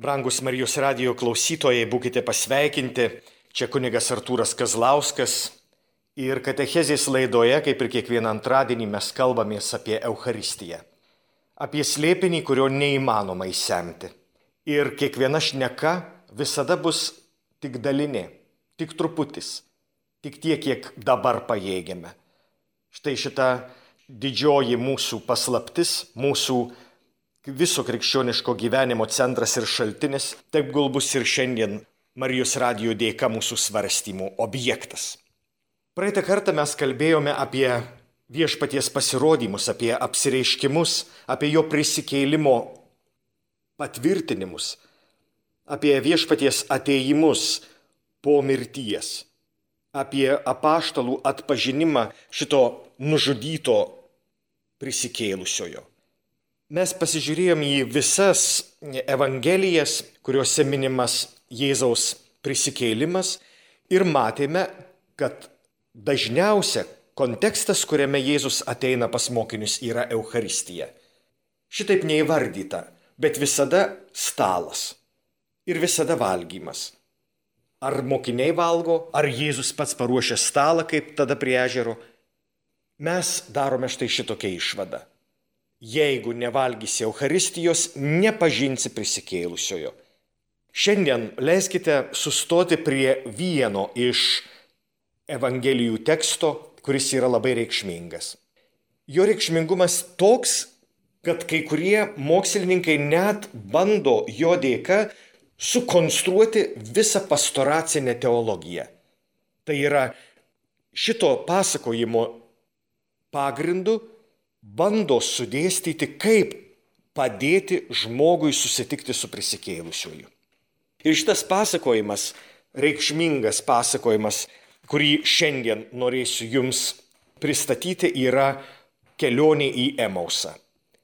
Brangus Marijos radijo klausytojai, būkite pasveikinti. Čia kunigas Artūras Kazlauskas. Ir katechezės laidoje, kaip ir kiekvieną antradienį, mes kalbamės apie Eucharistiją. Apie slėpinį, kurio neįmanoma įsemti. Ir kiekviena šneka visada bus tik dalinė, tik truputis, tik tiek, kiek dabar pajėgiame. Štai šita didžioji mūsų paslaptis, mūsų viso krikščioniško gyvenimo centras ir šaltinis, taip gal bus ir šiandien Marijos radijo dėka mūsų svarstymų objektas. Praeitą kartą mes kalbėjome apie viešpaties pasirodymus, apie apsireiškimus, apie jo prisikėlimo patvirtinimus, apie viešpaties atėjimus po mirties, apie apaštalų atpažinimą šito nužudyto prisikėlusiojo. Mes pasižiūrėjom į visas evangelijas, kuriuose minimas Jėzaus prisikėlimas ir matėme, kad dažniausia kontekstas, kuriame Jėzus ateina pas mokinius, yra Eucharistija. Šitaip neįvardyta, bet visada stalas ir visada valgymas. Ar mokiniai valgo, ar Jėzus pats paruošia stalą, kaip tada prie ežero. Mes darome štai šitokią išvadą. Jeigu nevalgysi Eucharistijos, nepažinsi prisikėlusiojo. Šiandien leiskite sustoti prie vieno iš evangelijų teksto, kuris yra labai reikšmingas. Jo reikšmingumas toks, kad kai kurie mokslininkai net bando jo dėka sukonstruoti visą pastoracinę teologiją. Tai yra šito pasakojimo pagrindu bando sudėstyti, kaip padėti žmogui susitikti su prisikėlusiuoju. Ir šitas pasakojimas, reikšmingas pasakojimas, kurį šiandien norėsiu jums pristatyti, yra kelionė į Emausą.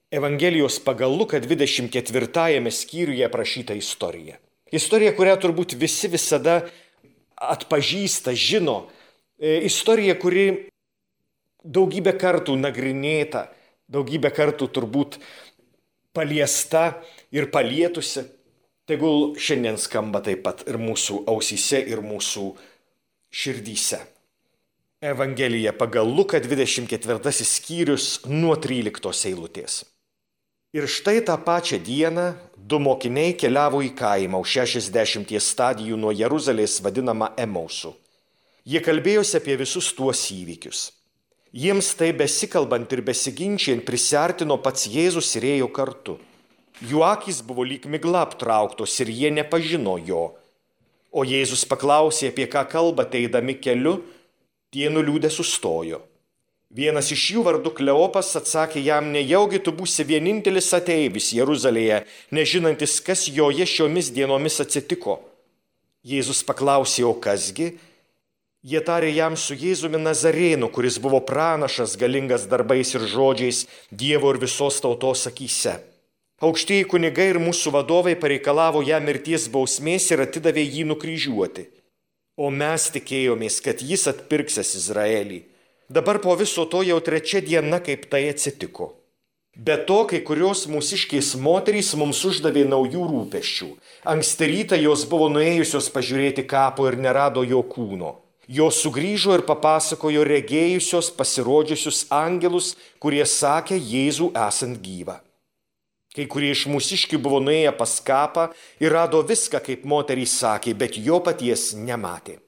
Evangelijos pagal Luką 24 skyriuje aprašyta istorija. Istorija, kurią turbūt visi visada atpažįsta, žino. Istorija, kuri daugybę kartų nagrinėta, daugybę kartų turbūt paliesta ir palietusi. Tegul šiandien skamba taip pat ir mūsų ausyse, ir mūsų širdyse. Evangelija pagal Luką 24 skyrius nuo 13 eilutės. Ir štai tą pačią dieną 2 mokiniai keliavo į kaimą už 60 stadijų nuo Jeruzalės vadinamą Emausu. Jie kalbėjosi apie visus tuos įvykius. Jiems tai besikalbant ir besiginčiant prisiartino pats Jėzus ir ėjo kartu. Jų akys buvo lyg migla aptrauktos ir jie nepažino jo. O Jėzus paklausė, apie ką kalbate eidami keliu, tie nuliūdę sustojo. Vienas iš jų vardu Kleopas atsakė jam, nejaugi tu būsi vienintelis ateivis Jeruzalėje, nežinantis, kas joje šiomis dienomis atsitiko. Jėzus paklausė, o kasgi? Jie tarė jam su Jėzumi Nazarėnu, kuris buvo pranašas, galingas darbais ir žodžiais Dievo ir visos tautos akyse. Aukštieji kunigai ir mūsų vadovai pareikalavo jam mirties bausmės ir atidavė jį nukryžiuoti. O mes tikėjomės, kad jis atpirksės Izraelį. Dabar po viso to jau 3 diena, kaip tai atsitiko. Be to, kai kurios mūsiškės moterys mums uždavė naujų rūpesčių. Anksti rytą jos buvo nuėjusios pažiūrėti kapo ir nerado jo kūno. Jos sugrįžo ir papasakojo regėjusios pasirodžiusius angelus, kurie sakė Jėzų esant gyvą. Kai kurie iš mūsiškių buvo nuėję pas kapą ir rado viską, kaip moterys sakė, bet jo paties nematė.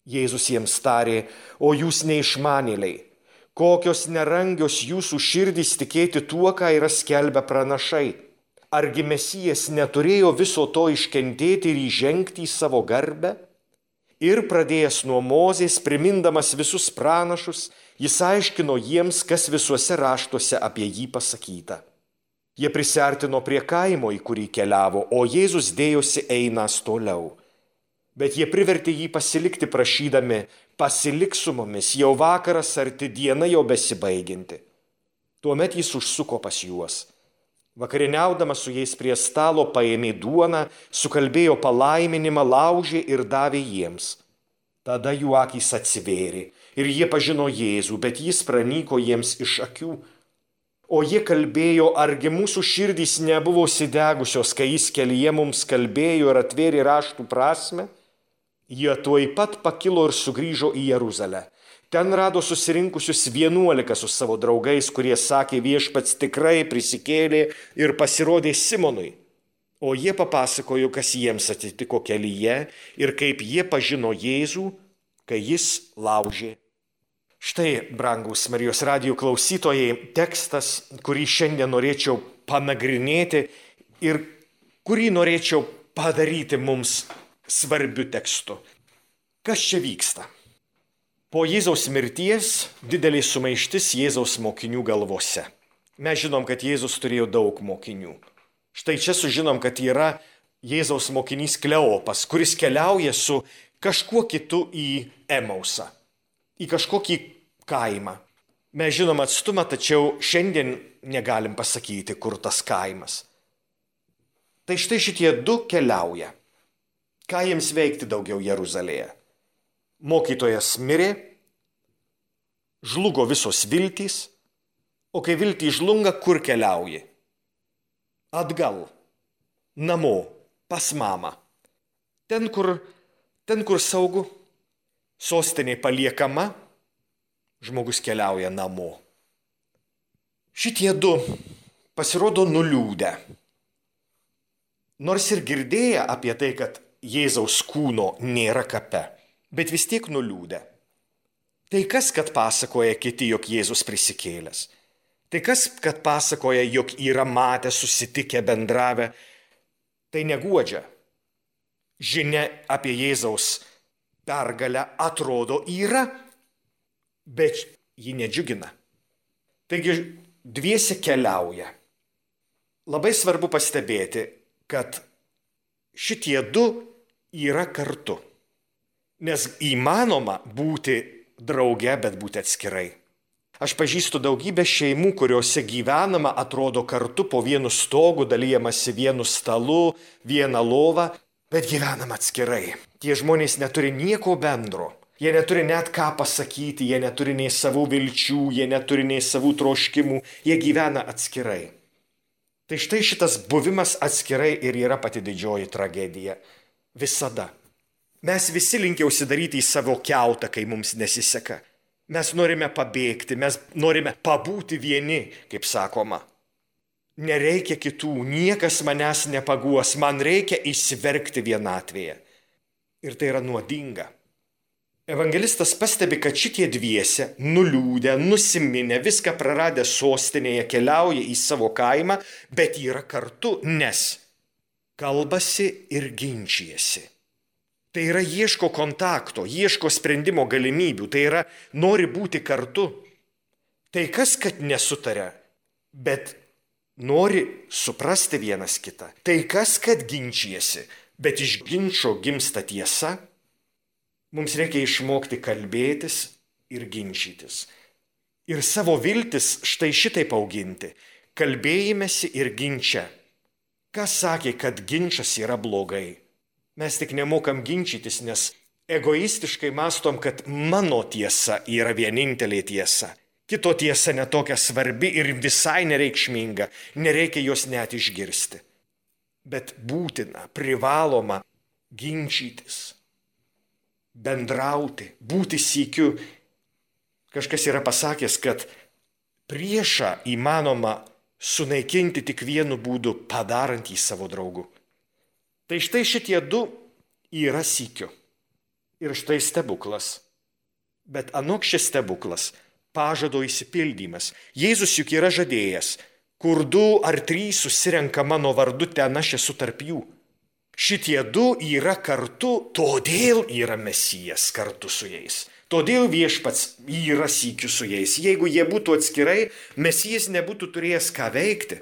Jėzus jiems tarė, o jūs neišmanėliai, kokios nerangios jūsų širdys tikėti tuo, ką yra skelbę pranašai. Argi Mesijas neturėjo viso to iškentėti ir įžengti į savo garbę? Ir pradėjęs nuo Mozės, primindamas visus pranašus, jis aiškino jiems, kas visuose raštuose apie jį pasakyta. Jie prisiartino prie kaimo, į kurį keliavo, o Jėzus dėjosi einąs toliau. Bet jie privertė jį pasilikti prašydami, pasilik su mumis, jau vakaras arti, diena jau besibaigianti. Tuomet jis užsuko pas juos. Vakarieniaudamas su jais prie stalo paėmė duoną, sukalbėjo palaiminimą, laužė ir davė jiems. Tada jų akys atsivėrė ir jie pažino Jėzų, bet jis pranyko jiems iš akių. O jie kalbėjo, argi mūsų širdys nebuvo įsidegusios, kai jis kelyje mums kalbėjo ir atvėrė raštų prasme? Jie tuoj pat pakilo ir sugrįžo į Jeruzalę. Ten rado susirinkusius 11 su savo draugais, kurie sakė, viešpats tikrai prisikėlė ir pasirodė Simonui. O jie papasakojo, kas jiems atsitiko kelyje ir kaip jie pažino Jėzų, kai jis laužė. Štai, brangūs Marijos radijo klausytojai, tekstas, kurį šiandien norėčiau panagrinėti ir kurį norėčiau padaryti mums svarbiu tekstu. Kas čia vyksta? Po Jėzaus mirties didelė sumaištis Jėzaus mokinių galvose. Mes žinom, kad Jėzus turėjo daug mokinių. Štai čia sužinom, kad yra Jėzaus mokinys Kleopas, kuris keliauja su kažkuo kitu į Emausą, į kažkokį kaimą. Mes žinom atstumą, tačiau šiandien negalim pasakyti, kur tas kaimas. Tai štai šitie du keliauja. Ką jiems veikti daugiau Jeruzalėje? Mokytojas mirė, žlugo visos viltys, o kai viltys žlunga, kur keliauji? Atgal, namo, pas mamą. Ten, kur saugu, sostinė paliekama, žmogus keliauja namo. Šitie du pasirodo nuliūdę. Nors ir girdėję apie tai, kad Jėzaus kūno nėra kape, bet vis tiek nuliūdę. Tai kas, kad pasakoja kiti, jog Jėzus prisikėlęs? Tai kas, kad pasakoja, jog yra matę, susitikę, bendravę? Tai neguodžia. Žinia apie Jėzaus pergalę atrodo yra, bet ji nedžiugina. Taigi dviese keliauja. Labai svarbu pastebėti, kad šitie du yra kartu. Nes įmanoma būti drauge, bet būti atskirai. Aš pažįstu daugybę šeimų, kuriuose gyvenama atrodo kartu po vienu stogu, dalyjamasi vienu stalu, vieną lovą, bet gyvenama atskirai. Tie žmonės neturi nieko bendro. Jie neturi net ką pasakyti, jie neturi nei savų vilčių, jie neturi nei savų troškimų, jie gyvena atskirai. Tai štai šitas buvimas atskirai ir yra pati didžioji tragedija. Visada. Mes visi linkę užsidaryti į savo kiautą, kai mums nesiseka. Mes norime pabėgti, mes norime pabūti vieni, kaip sakoma. Nereikia kitų, niekas manęs nepaguos, man reikia įsiverkti vienatvėje. Ir tai yra nuodinga. Evangelistas pastebi, kad šitie dviese, nuliūdę, nusiminę, viską praradę sostinėje, keliauja į savo kaimą, bet yra kartu, nes kalbasi ir ginčijasi. Tai yra ieško kontakto, ieško sprendimo galimybių, tai yra nori būti kartu. Tai kas, kad nesutaria, bet nori suprasti vienas kitą. Tai kas, kad ginčijasi, bet iš ginčo gimsta tiesa. Mums reikia išmokti kalbėtis ir ginčytis. Ir savo viltis štai šitaip auginti. Kalbėjimėsi ir ginčia. Kas sakė, kad ginčas yra blogai? Mes tik nemokam ginčytis, nes egoistiškai mastom, kad mano tiesa yra vienintelė tiesa. Kito tiesa netokia svarbi ir visai nereikšminga, nereikia jos net išgirsti. Bet būtina, privaloma ginčytis, bendrauti, būti sykiu. Kažkas yra pasakęs, kad priešą įmanoma sunaikinti tik vienu būdu, padarant jį savo draugu. Tai štai šitie du yra sykiu. Ir štai stebuklas. Bet anok šis stebuklas, pažado išsipildymas. Jėzus juk yra žadėjęs, kur 2 ar 3 susirenka mano vardu, ten aš esu tarp jų. Šitie du yra kartu, todėl yra Mesijas kartu su jais. Todėl viešpats yra sykiu su jais. Jeigu jie būtų atskirai, Mesijas nebūtų turėjęs ką veikti.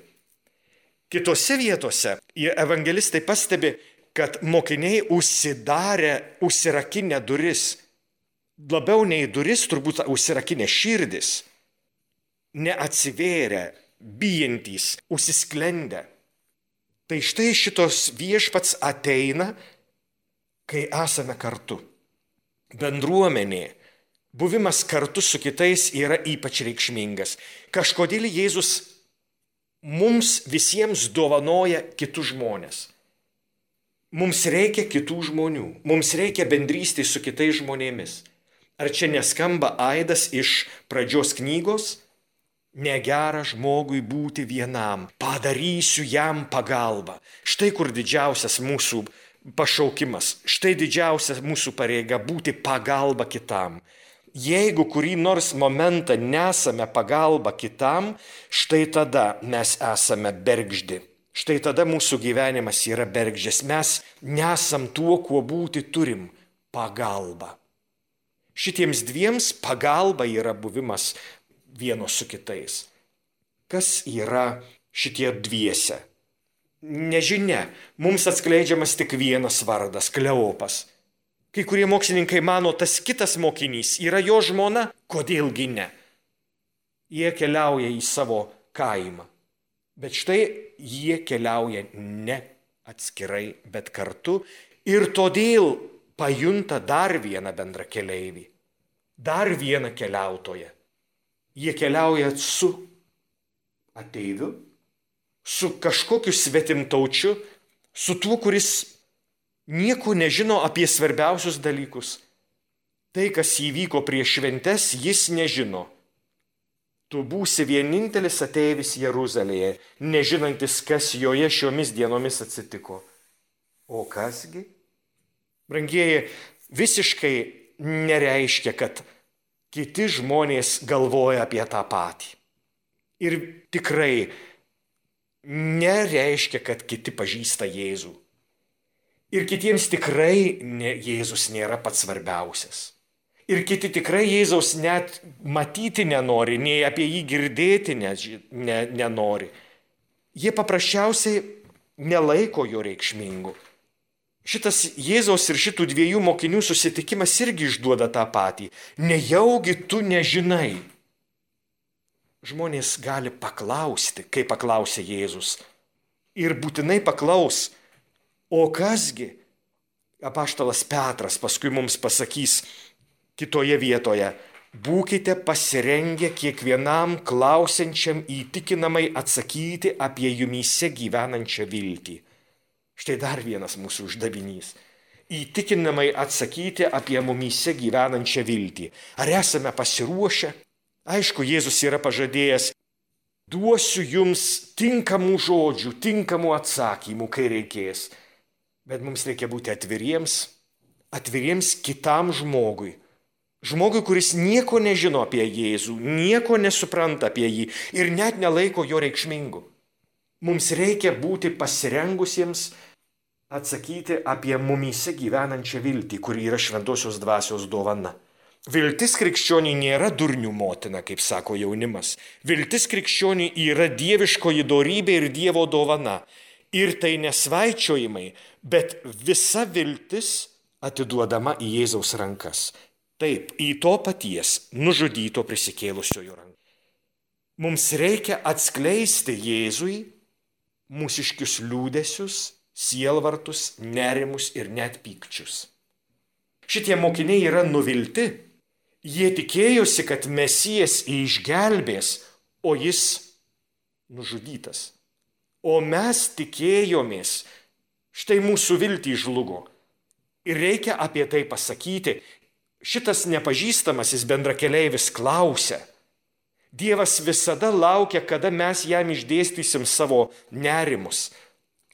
Kitose vietose evangelistai pastebi, kad mokiniai užsirakinę duris. Labiau nei duris, turbūt užsirakinę širdis. Neatsivėrę, bijantys, užsisklendę. Tai štai šitos viešpats ateina, kai esame kartu. Bendruomenė, buvimas kartu su kitais yra ypač reikšmingas. Kažkodėl Jėzus mums visiems dovanoja kitus žmonės. Mums reikia kitų žmonių, mums reikia bendrystės su kitais žmonėmis. Ar čia neskamba aidas iš pradžios knygos? Negera žmogui būti vienam, padarysiu jam pagalbą. Štai kur didžiausias mūsų pašaukimas, štai didžiausia mūsų pareiga būti pagalba kitam. Jeigu kurį nors momentą nesame pagalba kitam, štai tada mes esame bergždi. Štai tada mūsų gyvenimas yra bergždžias. Mes nesam tuo, kuo būti turim – pagalba. Šitiems dviems pagalba yra buvimas vienos su kitais. Kas yra šitie dviese? Nežinia, mums atskleidžiamas tik vienas vardas – Kleopas. Kai kurie mokslininkai mano, tas kitas mokinys yra jo žmona, kodėlgi ne? Jie keliauja į savo kaimą. Bet štai jie keliauja ne atskirai, bet kartu ir todėl pajunta dar vieną bendrą keleivį, dar vieną keliautoją. Jie keliauja su ateiviu, su kažkokiu svetimtaučiu, su tuo, kuris nieko nežino apie svarbiausius dalykus. Tai, kas įvyko prieš šventes, jis nežino. Tu būsi vienintelis ateivis Jeruzalėje, nežinantis, kas joje šiomis dienomis atsitiko. O kasgi? Brangieji, visiškai nereiškia, kad kiti žmonės galvoja apie tą patį. Ir tikrai nereiškia, kad kiti pažįsta Jėzų. Ir kitiems tikrai Jėzus nėra pats svarbiausias. Ir kiti tikrai Jėzaus net matyti nenori, nei apie jį girdėti nenori. Jie paprasčiausiai nelaiko jo reikšmingu. Šitas Jėzaus ir šitų dviejų mokinių susitikimas irgi išduoda tą patį. Nejaugi tu nežinai. Žmonės gali paklausti, kaip paklausė Jėzus. Ir būtinai paklaus, o kasgi? Apaštalas Petras paskui mums pasakys kitoje vietoje, būkite pasirengę kiekvienam klausiančiam įtikinamai atsakyti apie jumyse gyvenančią viltį. Štai dar vienas mūsų uždavinys. Įtikinamai atsakyti apie mumyse gyvenančią viltį. Ar esame pasiruošę? Aišku, Jėzus yra pažadėjęs, duosiu jums tinkamų žodžių, tinkamų atsakymų, kai reikės. Bet mums reikia būti atviriems kitam žmogui. Žmogui, kuris nieko nežino apie Jėzų, nieko nesupranta apie jį ir net nelaiko jo reikšmingu. Mums reikia būti pasirengusiems atsakyti apie mumyse gyvenančią viltį, kuri yra šventosios dvasios dovana. Viltis krikščioniui nėra durnių motina, kaip sako jaunimas. Viltis krikščioniui yra dieviškoji dorybė ir Dievo dovana. Ir tai nesvaičiojimai, bet visa viltis atiduodama į Jėzaus rankas. Taip, į to paties nužudyto prisikėlusiojo ranką. Mums reikia atskleisti Jėzui mūsiškius liūdesius, sielvartus, nerimus ir net pykčius. Šitie mokiniai yra nuvilti. Jie tikėjosi, kad Mesijas išgelbės, o jis nužudytas. O mes tikėjomės, štai mūsų viltį žlugo. Ir reikia apie tai pasakyti. Šitas nepažįstamasis bendrakeleivis klausia. Dievas visada laukia, kada mes jam išdėstysim savo nerimus,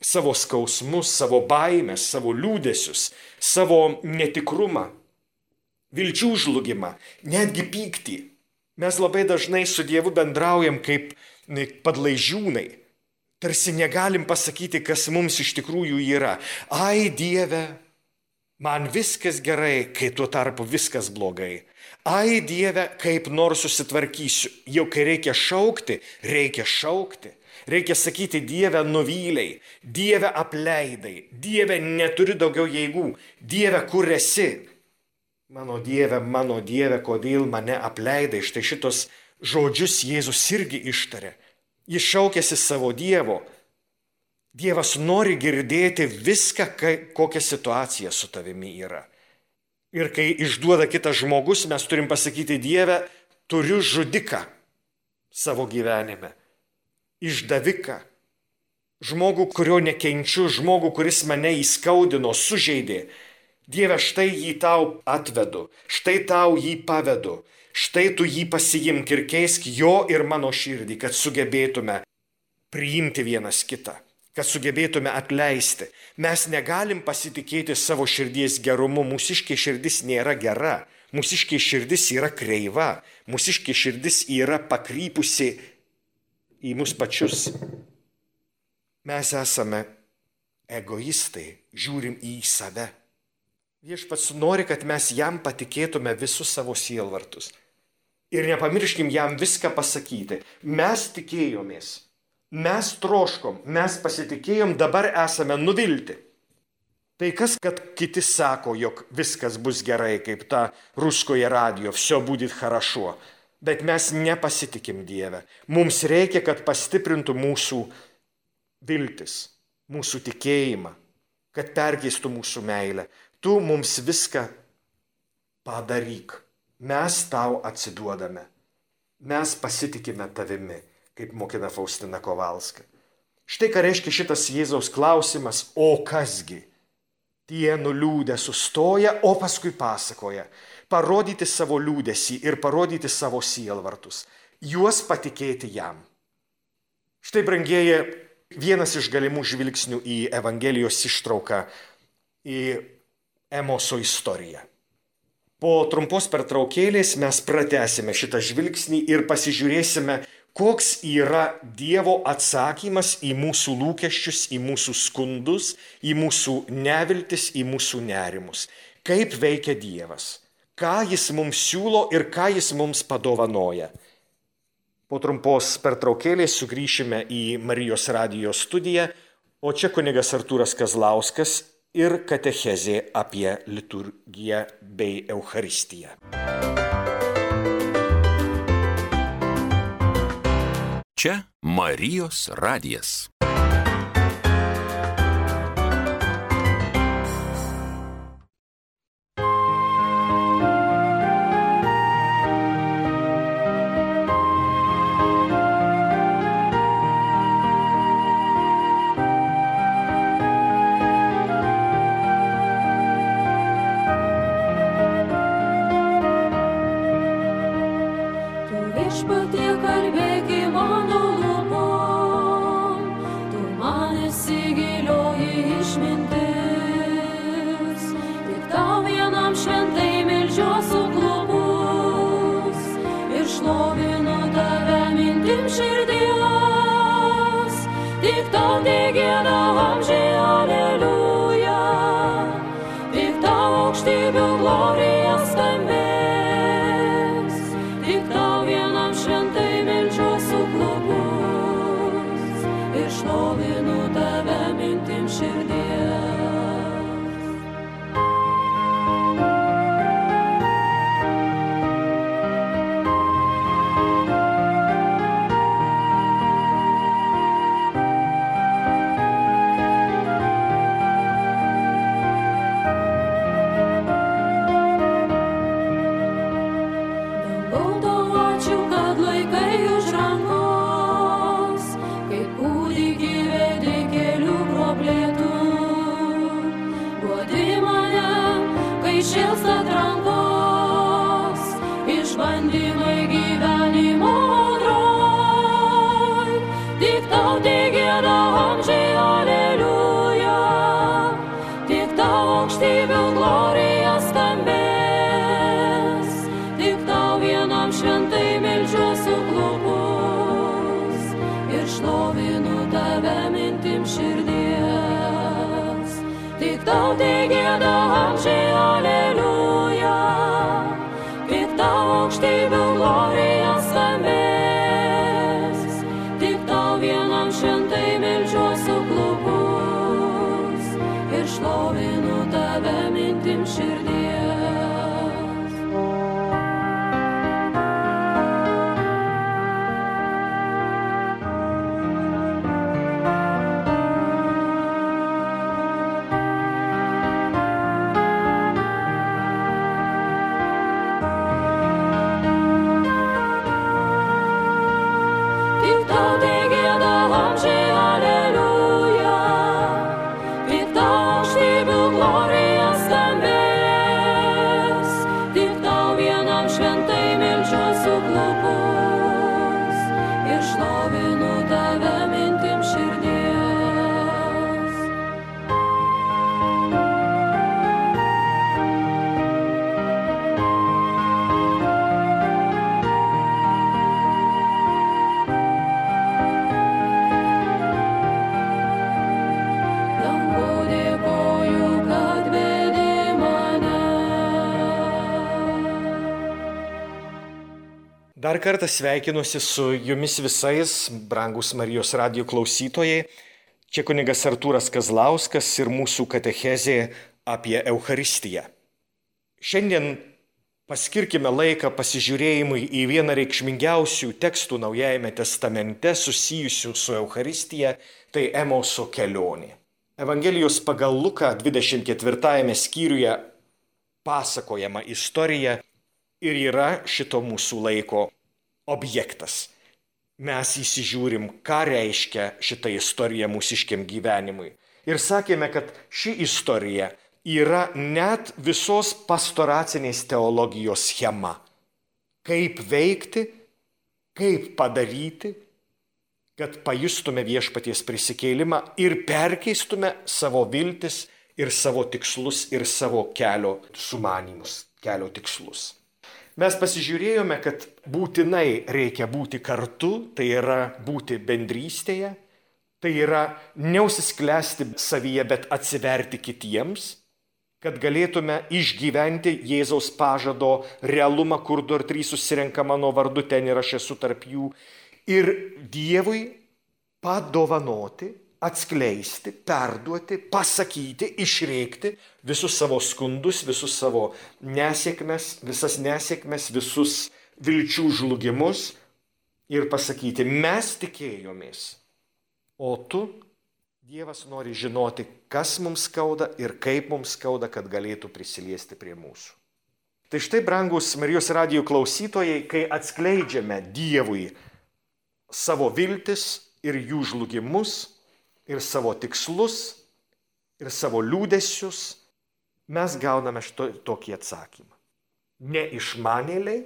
savo skausmus, savo baimės, savo liūdesius, savo netikrumą, vilčių žlugimą, netgi pyktį. Mes labai dažnai su Dievu bendraujam kaip padlaižiūnai. Tarsi negalim pasakyti, kas mums iš tikrųjų yra. Ai, Dieve, man viskas gerai, kai tuo tarpu viskas blogai. Ai, Dieve, kaip nors susitvarkysiu. Jau kai reikia šaukti, reikia šaukti. Reikia sakyti, Dieve, nuvyliai, Dieve, apleidai, Dieve, neturi daugiau jėgų, Dieve, kur esi? Mano Dieve, kodėl mane apleidai? Štai šitos žodžius Jėzus irgi ištarė. Jis šaukėsi savo Dievo. Dievas nori girdėti viską, kokia situacija su tavimi yra. Ir kai išduoda kitas žmogus, mes turim pasakyti, Dieve, turiu žudiką savo gyvenime. išdaviką, žmogų, kurio nekenčiu, žmogų, kuris mane įskaudino, sužeidė. Dieve, štai jį tau atvedu, štai tau jį pavedu, štai tu jį pasiimk ir keisk jo ir mano širdį, kad sugebėtume priimti vienas kitą, kad sugebėtume atleisti. Mes negalim pasitikėti savo širdies gerumu, mūsiškė širdis nėra gera, mūsiškė širdis yra kreiva, mūsiškė širdis yra pakrypusi į mus pačius. Mes esame egoistai, žiūrim į save. Viešpats nori, kad mes jam patikėtume visus savo sielvartus. Ir nepamirškim jam viską pasakyti. Mes tikėjomės, mes troškom, mes pasitikėjom, dabar esame nuvilti. Tai kas, kad kiti sako, jog viskas bus gerai, kaip ta ruskoje radio, все будет хорошо. Bet mes nepasitikim Dieve. Mums reikia, kad pastiprintų mūsų viltis, mūsų tikėjimą, kad perkeistų mūsų meilę. Tu mums viską padaryk. Mes tau atsiduodame. Mes pasitikime tavimi, kaip mokina Faustina Kovalska. Štai ką reiškia šitas Jėzaus klausimas, o kasgi? Tie nuliūdę sustoja, o paskui pasakoja. Parodyti savo liūdesį ir parodyti savo sielvartus. Juos patikėti jam. Štai, brangieji, vienas iš galimų žvilgsnių į Evangelijos ištrauką, į Emoso istoriją. Po trumpos pertraukėlės mes pratęsime šitą žvilgsnį ir pasižiūrėsime, koks yra Dievo atsakymas į mūsų lūkesčius, į mūsų skundus, į mūsų neviltis, į mūsų nerimus. Kaip veikia Dievas, ką jis mums siūlo ir ką jis mums padovanoja. Po trumpos pertraukėlės sugrįšime į Marijos radijo studiją, o čia kunigas Artūras Kazlauskas ir katechezė apie liturgiją bei Eucharistiją. Čia Marijos radijas. Together Dar kartą sveikinuosi su jumis visais, brangus Marijos radijo klausytojai. Čia kunigas Artūras Kazlauskas ir mūsų katechezė apie Eucharistiją. Šiandien paskirkime laiką pasižiūrėjimui į vieną reikšmingiausių tekstų Naujajame testamente susijusių su Eucharistija, tai Emauso kelionė. Evangelijos pagal Luką 24 skyriuje pasakojama istorija ir yra šito mūsų laiko objektas. Mes įsižiūrim, ką reiškia šita istorija mūsiškiam gyvenimui. Ir sakėme, kad ši istorija yra net visos pastoracinės teologijos schema. Kaip veikti, kaip padaryti, kad pajustume viešpaties prisikėlimą ir perkeistume savo viltis ir savo tikslus ir savo kelio sumanymus, kelio tikslus. Mes pasižiūrėjome, kad būtinai reikia būti kartu, tai yra būti bendrystėje, tai yra neužsisklęsti savyje, bet atsiverti kitiems, kad galėtume išgyventi Jėzaus pažado realumą, kur 2 ar 3 susirenka mano vardu, ten ir aš esu tarp jų, ir Dievui padovanoti, atskleisti, perduoti, pasakyti, išreikti visus savo skundus, visus savo nesėkmes, visas nesėkmes, visus vilčių žlugimus ir pasakyti, mes tikėjomės, o tu, Dievas, nori žinoti, kas mums skauda ir kaip mums skauda, kad galėtų prisiliesti prie mūsų. Tai štai, brangus Marijos radijo klausytojai, kai atskleidžiame Dievui savo viltis ir jų žlugimus, ir savo tikslus, ir savo liūdesius, mes gauname tokį atsakymą. Neišmanėliai,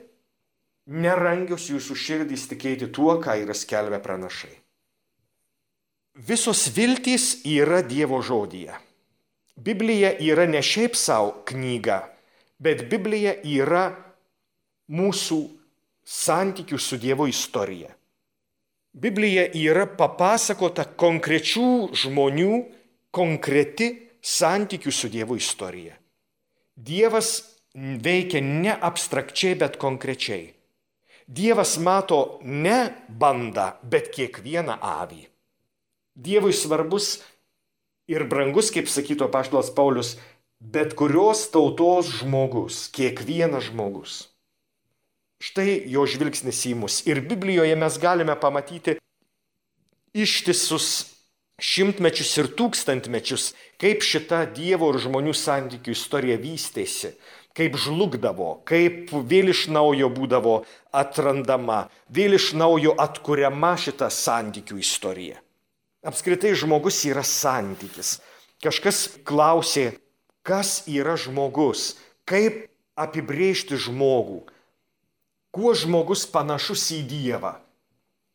nerangios jūsų širdys tikėti tuo, ką yra skelbę pranašai. Visos viltys yra Dievo žodyje. Biblija yra ne šiaip savo knyga, bet Biblija yra mūsų santykių su Dievo istorija. Biblija yra papasakota konkrečių žmonių, konkreti santykių su Dievo istorija. Dievas veikia ne abstrakčiai, bet konkrečiai. Dievas mato ne bandą, bet kiekvieną avį. Dievui svarbus ir brangus, kaip sakytų apaštalas Paulius, bet kurios tautos žmogus, kiekvienas žmogus. Štai jo žvilgsnis į mus. Ir Biblijoje mes galime pamatyti ištisus šimtmečius ir tūkstantmečius, kaip šita Dievo ir žmonių santykių istorija vystėsi, kaip žlugdavo, kaip vėl iš naujo būdavo atrandama, vėl iš naujo atkuriama šita santykių istorija. Apskritai žmogus yra santykis. Kažkas klausė, kas yra žmogus, kaip apibrėžti žmogų. Kuo žmogus panašus į Dievą,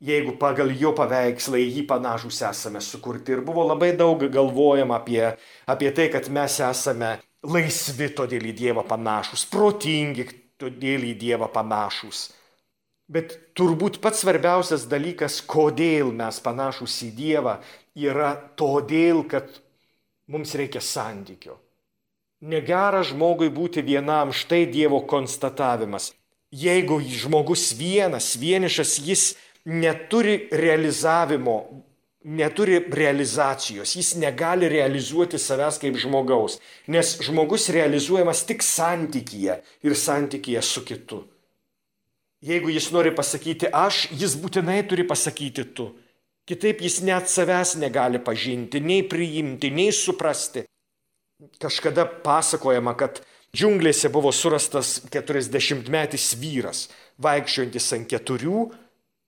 jeigu pagal jo paveikslą į jį panašus esame sukurti. Ir buvo labai daug galvojama apie tai, kad mes esame laisvi, todėl į Dievą panašus, protingi, todėl į Dievą panašus. Bet turbūt pats svarbiausias dalykas, kodėl mes panašus į Dievą, yra todėl, kad mums reikia santykio. Negera žmogui būti vienam, štai Dievo konstatavimas. Jeigu žmogus vienišas, jis neturi realizavimo, neturi realizacijos, jis negali realizuoti savęs kaip žmogaus, nes žmogus realizuojamas tik santykyje ir santykyje su kitu. Jeigu jis nori pasakyti aš, jis būtinai turi pasakyti tu. Kitaip jis net savęs negali pažinti, nei priimti, nei suprasti. Kažkada pasakojama, kad džiunglėse buvo surastas 40-metis vyras, vaikščiojantis ant 4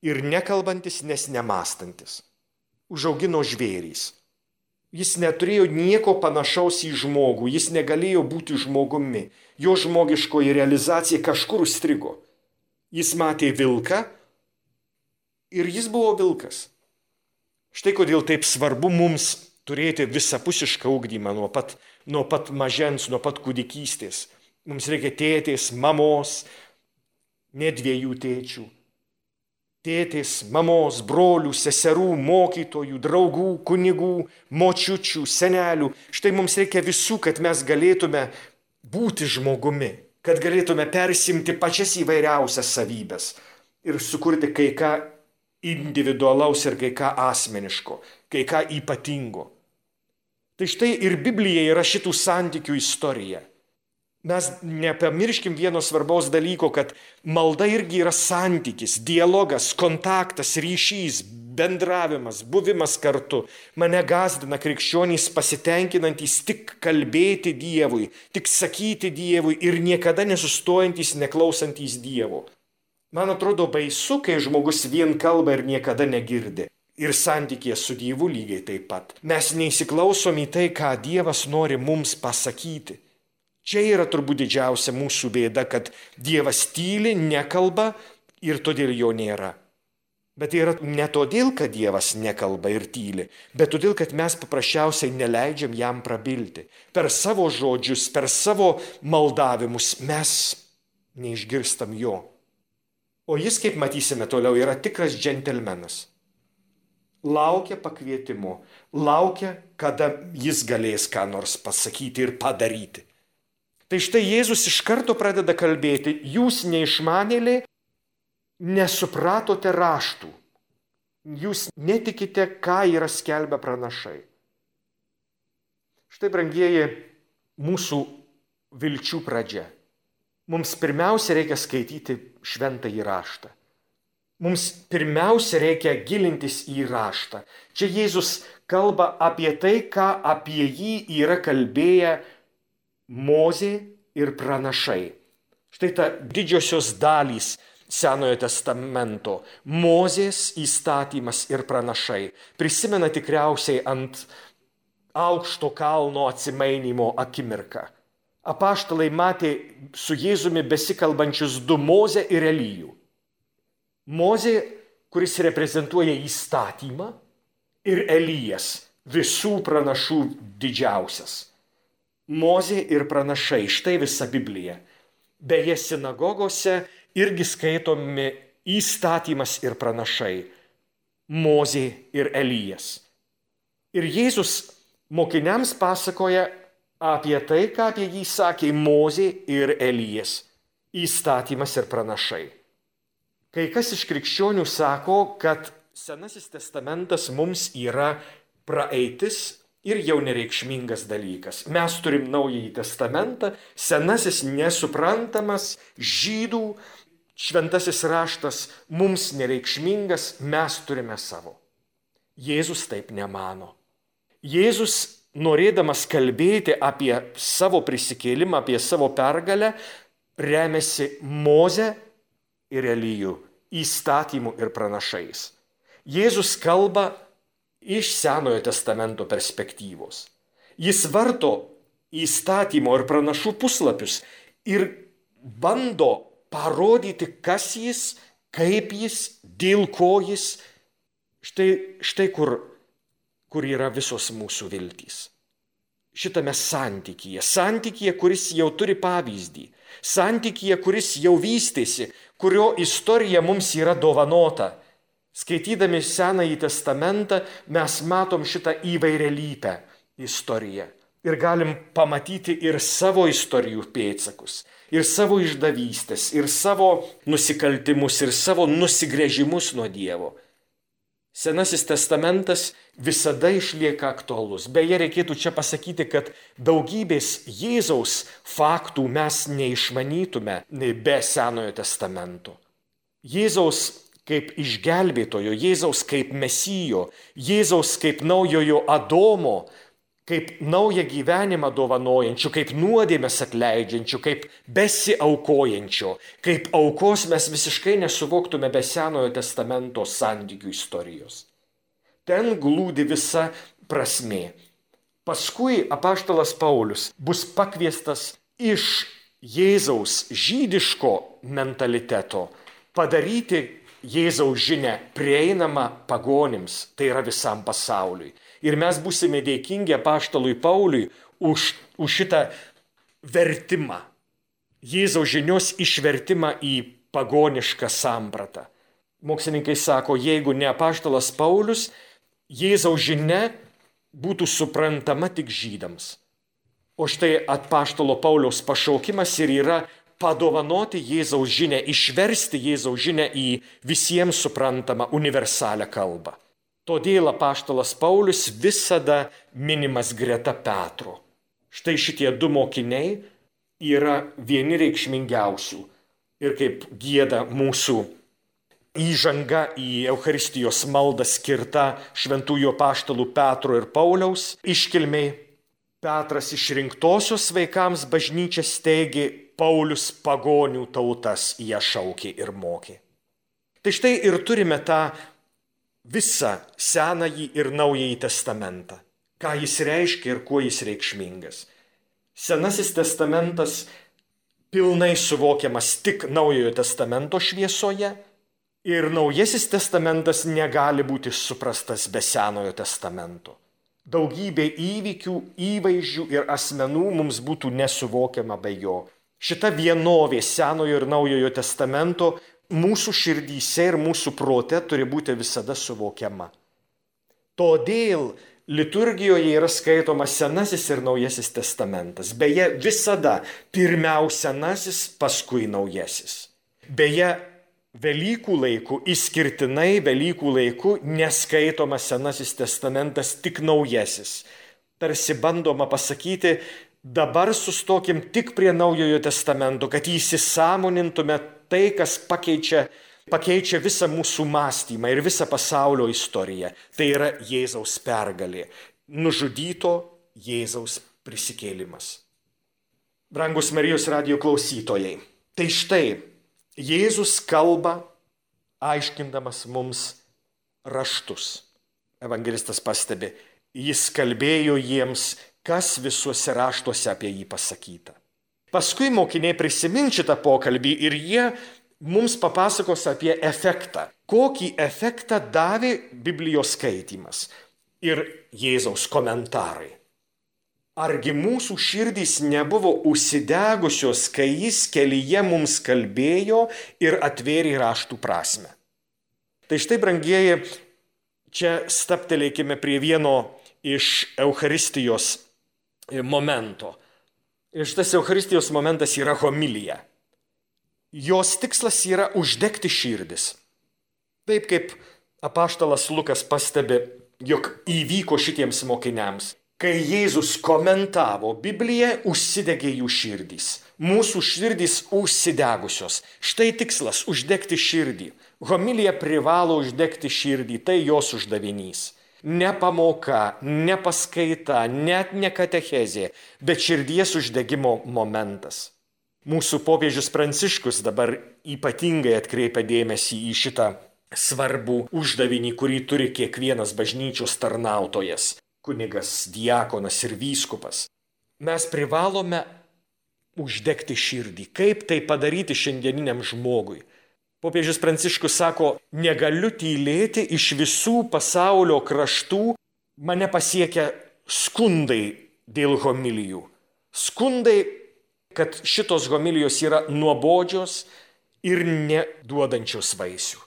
ir nekalbantis, nes nemąstantis. Užaugino žvėrys. Jis neturėjo nieko panašaus į žmogų, jis negalėjo būti žmogumi. Jo žmogiškoji realizacija kažkur užstrigo. Jis matė vilką ir jis buvo vilkas. Štai kodėl taip svarbu mums turėti visapusišką ugdymą nuo pat mažens, nuo pat kūdikystės. Mums reikia tėtės, mamos, ne 2 tėčių. Tėtės, mamos, brolių, seserų, mokytojų, draugų, kunigų, močiučių, senelių. Štai mums reikia visų, kad mes galėtume būti žmogumi, kad galėtume persimti pačias įvairiausias savybės. ir sukurti kai ką individualaus ir kai ką asmeniško, kai ką ypatingo. Tai štai ir Biblija yra šitų santykių istorija. Mes nepamirškim vieno svarbaus dalyko, kad malda irgi yra santykis, dialogas, kontaktas, ryšys, bendravimas, buvimas kartu. Mane gąsdina krikščionys pasitenkinantys tik kalbėti Dievui, tik sakyti Dievui ir niekada nesustojantys, neklausantys Dievo. Man atrodo baisu, kai žmogus vien kalba ir niekada negirdi. Ir santykė su Dievu lygiai taip pat. Mes neįsiklausom į tai, ką Dievas nori mums pasakyti. Čia yra turbūt didžiausia mūsų bėda, kad Dievas tyli, nekalba ir todėl jo nėra. Bet tai yra ne todėl, kad Dievas nekalba ir tyli, bet todėl, kad mes paprasčiausiai neleidžiam jam prabilti. Per savo žodžius, per savo maldavimus mes neišgirstam jo. O jis, kaip matysime toliau, yra tikras džentelmenas. Laukia pakvietimo, laukia, kada jis galės ką nors pasakyti ir padaryti. Tai štai Jėzus iš karto pradeda kalbėti, jūs neišmanėliai, nesupratote raštų, jūs netikite, ką yra skelbę pranašai. Štai, brangieji, mūsų vilčių pradžia. Mums pirmiausia reikia skaityti šventąjį raštą. Mums pirmiausia reikia gilintis į raštą. Čia Jėzus kalba apie tai, ką apie jį yra kalbėję Mozė ir pranašai. Štai ta didžiosios dalys Senojo testamento. Mozės įstatymas ir pranašai. Prisimena tikriausiai ant aukšto kalno atsimainymo akimirką. Apaštalai matė su Jėzumi besikalbančius du Mozę ir Elijų. Mozė, kuris reprezentuoja įstatymą, ir Elijas, visų pranašų didžiausias. Mozė ir pranašai, štai visa Biblija. Beje, sinagogose irgi skaitomi įstatymas ir pranašai. Mozė ir Elijas. Ir Jėzus mokiniams pasakoja apie tai, ką apie jį sakė Mozė ir Elijas. Įstatymas ir pranašai. Kai kas iš krikščionių sako, kad Senasis testamentas mums yra praeitis ir jau nereikšmingas dalykas. Mes turim Naująjį testamentą, Senasis nesuprantamas, žydų šventasis raštas mums nereikšmingas, mes turime savo. Jėzus taip nemano. Jėzus, norėdamas kalbėti apie savo prisikėlimą, apie savo pergalę, remiasi Moze ir Elijų, įstatymų ir pranašais. Jėzus kalba iš Senojo testamento perspektyvos. Jis varto įstatymo ir pranašų puslapius ir bando parodyti, kas jis, kaip jis, dėl ko jis. Štai kur yra visos mūsų viltys. Šitame santykyje, kuris jau turi pavyzdį, santykyje, kuris jau vystėsi, kurio istorija mums yra dovanota. Skaitydami Senąjį testamentą mes matom šitą įvairialypę istoriją ir galim pamatyti ir savo istorijų pėdsakus, ir savo išdavystės, ir savo nusikaltimus, ir savo nusigręžimus nuo Dievo. Senasis testamentas visada išlieka aktualus. Beje, reikėtų čia pasakyti, kad daugybės Jėzaus faktų mes neišmanytume be Senojo testamento. Jėzaus kaip išgelbėtojo, Jėzaus kaip Mesijo, Jėzaus kaip naujojo Adomo, kaip naują gyvenimą dovanojančių, kaip nuodėmes atleidžiančių, kaip besiaukojančio, kaip aukos mes visiškai nesuvoktume be Senojo testamento santykių istorijos. Ten glūdi visa prasmė. Paskui apaštalas Paulius bus pakviestas iš Jėzaus žydiško mentaliteto padaryti Jėzaus žinią prieinamą pagonims, tai yra visam pasauliui. Ir mes būsime dėkingi apaštalui Pauliui už šitą vertimą, Jėzaus žinios išvertimą į pagonišką sampratą. Mokslininkai sako, jeigu ne apaštalas Paulius, Jėzaus žinia būtų suprantama tik žydams. O štai apaštalo Pauliaus pašaukimas ir yra padovanoti Jėzaus žinią, išversti Jėzaus žinią į visiems suprantamą universalią kalbą. Todėl apaštalas Paulius visada minimas greta Petro. Štai šitie du mokiniai yra vieni reikšmingiausių. Ir kaip gieda mūsų įžanga į Eucharistijos maldą skirta šventųjų apaštalų Petro ir Pauliaus iškilmei, Petras išrinktosios vaikams bažnyčią steigė, Paulius pagonių tautas ją šaukė ir mokė. Tai štai ir turime tą visą Senąjį ir Naująjį testamentą. Ką jis reiškia ir kuo jis reikšmingas. Senasis testamentas pilnai suvokiamas tik Naujojo testamento šviesoje ir Naujasis testamentas negali būti suprastas be Senojo testamento. Daugybė įvykių, įvaizdžių ir asmenų mums būtų nesuvokiama be jo. Šita vienovė Senojo ir Naujojo testamento mūsų širdyse ir mūsų prote turi būti visada suvokiama. Todėl liturgijoje yra skaitomas Senasis ir Naujasis testamentas. Beje, visada pirmiausia Senasis, paskui Naujasis. Beje, Velykų laiku, išskirtinai Velykų laiku neskaitomas Senasis testamentas, tik Naujasis. Tarsi bandoma pasakyti, dabar sustokim tik prie Naujojo testamento, kad įsisąmonintume tai, kas pakeičia visą mūsų mąstymą ir visą pasaulio istoriją. Tai yra Jėzaus pergalė, nužudyto Jėzaus prisikėlimas. Brangus Marijos radijo klausytojai, tai štai Jėzus kalba, aiškindamas mums raštus. Evangelistas pastebi, jis kalbėjo jiems, kas visuose raštuose apie jį pasakyta. Paskui mokiniai prisimins šitą pokalbį ir jie mums papasakos apie efektą. Kokį efektą davė Biblijos skaitymas ir Jėzaus komentarai. Argi mūsų širdys nebuvo užsidegusios, kai jis kelyje mums kalbėjo ir atvėrė raštų prasmę. Tai štai, brangieji, čia stabtelėkime prie vieno iš Eucharistijos momento. Ir šitas Eucharistijos momentas yra homilija. Jos tikslas yra uždegti širdis. Taip kaip apaštalas Lukas pastebi, jog įvyko šitiems mokiniams. Kai Jėzus komentavo Bibliją, užsidegė jų širdys. Mūsų širdys užsidegusios. Štai tikslas – uždegti širdį. Homilija privalo uždegti širdį, tai jos uždavinys. Ne pamoka, ne paskaita, net ne katechezė, bet širdies uždegimo momentas. Mūsų popiežius Pranciškus dabar ypatingai atkreipia dėmesį į šitą svarbų uždavinį, kurį turi kiekvienas bažnyčios tarnautojas. Kunigas, diakonas ir vyskupas. Mes privalome uždegti širdį. Kaip tai padaryti šiandieniniam žmogui? Popiežius Pranciškus sako, negaliu tylėti, iš visų pasaulio kraštų mane pasiekia skundai dėl homilijų. Skundai, kad šitos homilijos yra nuobodžios ir neduodančios vaisių.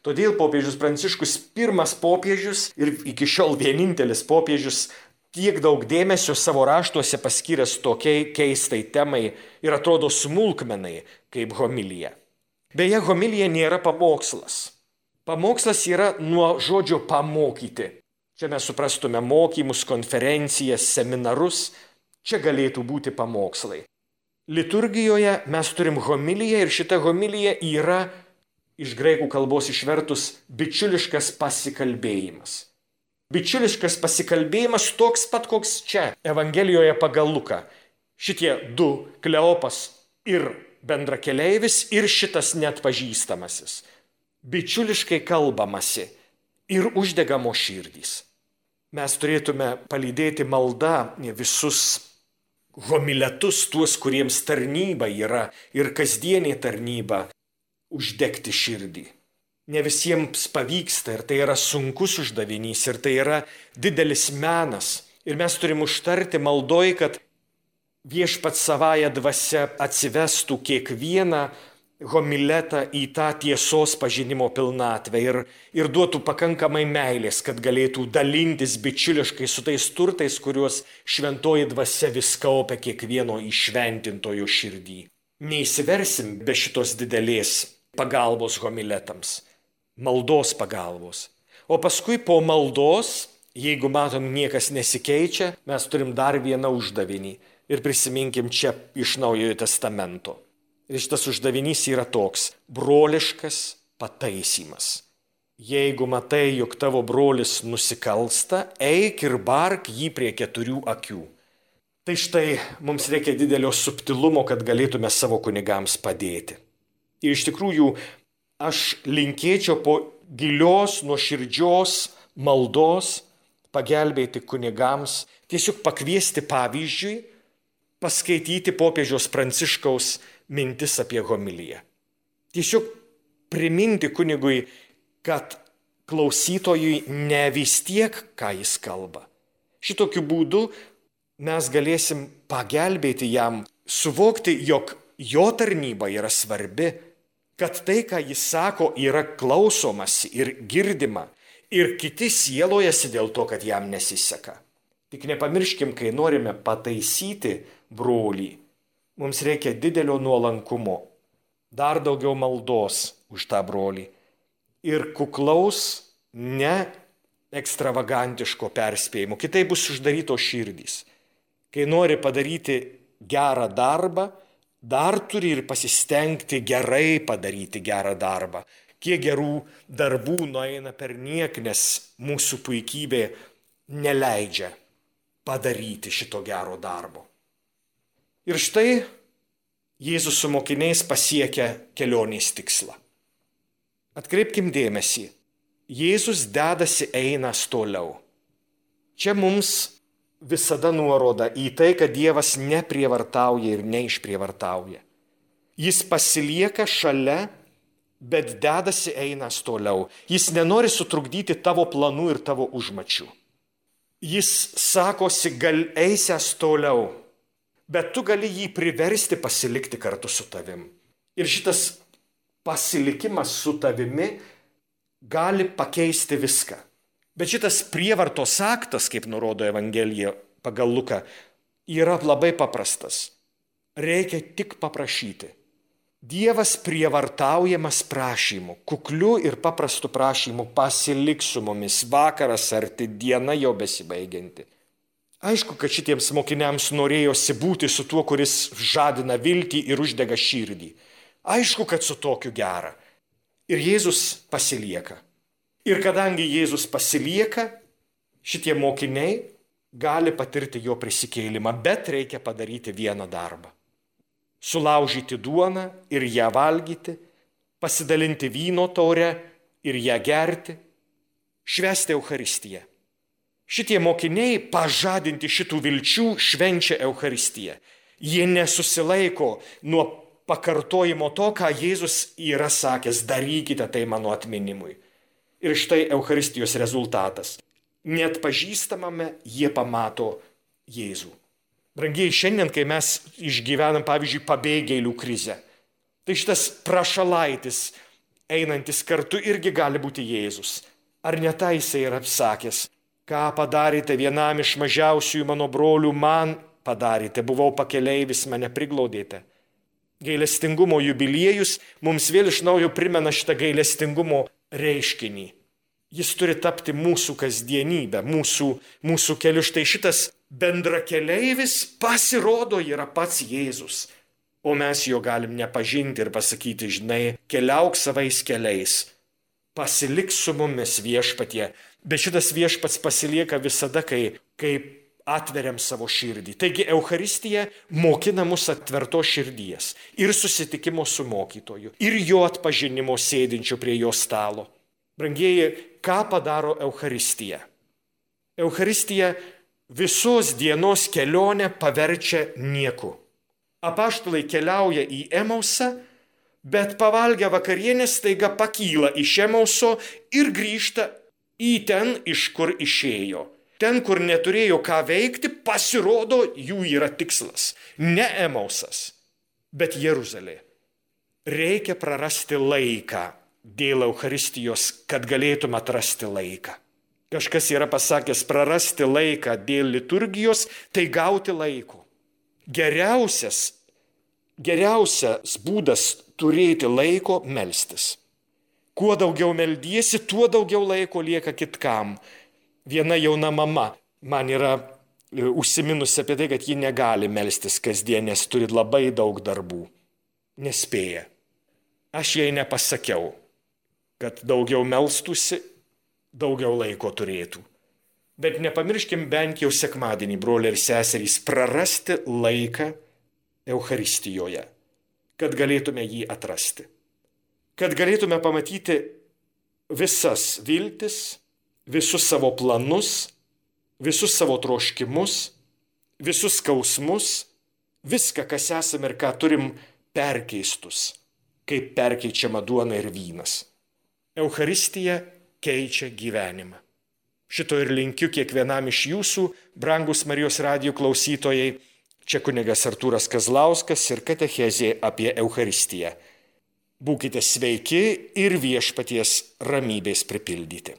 Todėl popiežius Pranciškus, pirmas popiežius ir iki šiol vienintelis popiežius, tiek daug dėmesio savo raštuose paskyręs tokiai keistai temai ir atrodo smulkmenai kaip homilija. Beje, homilija nėra pamokslas. Pamokslas yra nuo žodžio pamokyti. Čia mes suprastume mokymus, konferencijas, seminarus. Čia galėtų būti pamokslai. Liturgijoje mes turim homiliją ir šita homilija yra iš graikų kalbos išvertus bičiuliškas pasikalbėjimas. Bičiuliškas pasikalbėjimas toks pat, koks čia, Evangelijoje pagal Luką. Šitie du, Kleopas ir bendrakeleivis ir šitas neatpažįstamasis. Bičiuliškai kalbamasi ir uždegamo širdys. Mes turėtume palydėti maldą visus homiletus, tuos, kuriems tarnyba yra ir kasdienė tarnyba, uždegti širdį. Ne visiems pavyksta ir tai yra sunkus uždavinys ir tai yra didelis menas. Ir mes turim užtarti maldoj, kad Viešpats savąją dvasią atsivestų kiekvieną homiletą į tą tiesos pažinimo pilnatvę ir duotų pakankamai meilės, kad galėtų dalintis bičiuliškai su tais turtais, kuriuos šventoji dvasia vis kaupia kiekvieno įšventintojo širdį. neįsiversim be šitos didelės pagalbos homiletams, maldos pagalbos. O paskui po maldos, jeigu matom niekas nesikeičia, mes turim dar vieną uždavinį. Ir prisiminkim čia iš Naujojo Testamento. Ir šitas uždavinys yra toks – broliškas pataisymas. Jeigu matai, jog tavo brolis nusikalsta, eik ir bark jį prie 4 akių. Tai štai mums reikia didelio subtilumo, kad galėtume savo kunigams padėti. Ir iš tikrųjų aš linkėčiau po gilios, nuoširdžios maldos pagelbėti kunigams, tiesiog pakviesti pavyzdžiui, paskaityti popiežiaus Pranciškaus mintis apie homiliją. Tiesiog priminti kunigui, kad klausytojui ne vis tiek, ką jis kalba. Šitokiu būdu mes galėsim pagelbėti jam suvokti, jog jo tarnyba yra svarbi, kad tai, ką jis sako, yra klausomasi ir girdima, ir kiti sielojasi dėl to, kad jam nesiseka. Tik nepamirškim, kai norime pataisyti brolį, mums reikia didelio nuolankumo, dar daugiau maldos už tą brolį ir kuklaus, ne ekstravagantiško perspėjimo. Kitai bus uždarytos širdys. Kai nori padaryti gerą darbą, dar turi ir pasistengti gerai padaryti gerą darbą. Kiek gerų darbų nueina per niek, nes mūsų puikybė neleidžia padaryti šito gero darbo. Ir štai Jėzus su mokiniais pasiekia kelionės tikslą. Atkreipkim dėmesį, Jėzus dedasi einas toliau. Čia mums visada nuoroda į tai, kad Dievas neprievartauja ir neišprievartauja. Jis pasilieka šalia, bet dedasi einas toliau. Jis nenori sutrukdyti tavo planų ir tavo užmačių. Jis sakosi, gal eisias toliau, bet tu gali jį priversti pasilikti kartu su tavim. Ir šitas pasilikimas su tavimi gali pakeisti viską. Bet šitas prievartos aktas, kaip nurodo Evangelija pagal Luką, yra labai paprastas. Reikia tik paprašyti. Dievas prievartaujamas prašymu, kukliu ir paprastu prašymu pasilik su mumis, vakaras arti, diena jau besibaigianti. Aišku, kad šitiems mokiniams norėjosi būti su tuo, kuris žadina viltį ir uždega širdį. Aišku, kad su tokiu gera. Ir Jėzus pasilieka. Ir kadangi Jėzus pasilieka, šitie mokiniai gali patirti jo prisikėlimą, bet reikia padaryti vieną darbą. Sulaužyti duoną ir ją valgyti, pasidalinti vyno taurę ir ją gerti, švęsti Eucharistiją. Šitie mokiniai, pažadinti šitų vilčių, švenčia Eucharistiją. Jie nesusilaiko nuo pakartojimo to, ką Jėzus yra sakęs, darykite tai mano atminimui. Ir štai Eucharistijos rezultatas. Net pažįstamame jie pamato Jėzų. Brangieji, šiandien, kai mes išgyvenam, pavyzdžiui, pabėgėlių krizę, tai šitas prašalaitis, einantis kartu, irgi gali būti Jėzus. Ar ne tai jisai yra apsakęs? Ką padarėte vienam iš mažiausiųjų mano brolių, man padarėte, buvau pakeleivis, mane priglaudėte. Gailestingumo jubiliejus mums vėl iš naujo primena šitą gailestingumo reiškinį. Jis turi tapti mūsų kasdienybę, mūsų keliu. Štai šitas bendrakeleivis pasirodo yra pats Jėzus, o mes jo galim nepažinti ir pasakyti, žinai, keliauk savais keliais, pasilik su mumis viešpatie. Bet šitas viešpats pasilieka visada, kai atveriam savo širdį. Taigi Eucharistija mokina mus atvertos širdies ir susitikimo su mokytoju, ir jo atpažinimo sėdinčio prie jo stalo. Brangieji, ką padaro Eucharistija? Eucharistija visos dienos kelionę paverčia nieku. Apaštalai keliauja į Emausą, bet pavalgę vakarienę staiga pakyla iš Emauso ir grįžta į ten, iš kur išėjo. Ten, kur neturėjo ką veikti, pasirodo, jų yra tikslas. Ne Emausas, bet Jeruzalė. Reikia prarasti laiką dėl Eucharistijos, kad galėtum atrasti laiką. Kažkas yra pasakęs, prarasti laiką dėl liturgijos, tai gauti laiko. Geriausias geriausias būdas turėti laiko melstis. Kuo daugiau meldiesi, tuo daugiau laiko lieka kitkam. Viena jauna mama man yra užsiminusi apie tai, kad ji negali melstis kasdien, nes turi labai daug darbų. Nespėja. Aš jai nepasakiau, kad daugiau melstusi, daugiau laiko turėtų. Bet nepamirškim bent jau sekmadienį, broliai ir seserys, prarasti laiką Eucharistijoje, kad galėtume jį atrasti. Kad galėtume pamatyti visas viltis, visus savo planus, visus savo troškimus, visus skausmus, viską, kas esame ir ką turim, perkeistus, kaip perkeičiama duona ir vynas. Eucharistija keičia gyvenimą. Šito ir linkiu kiekvienam iš jūsų, brangus Marijos radijo klausytojai. Čia kunigas Artūras Kazlauskas ir katechezė apie Eucharistiją. Būkite sveiki ir viešpaties ramybės pripildyti.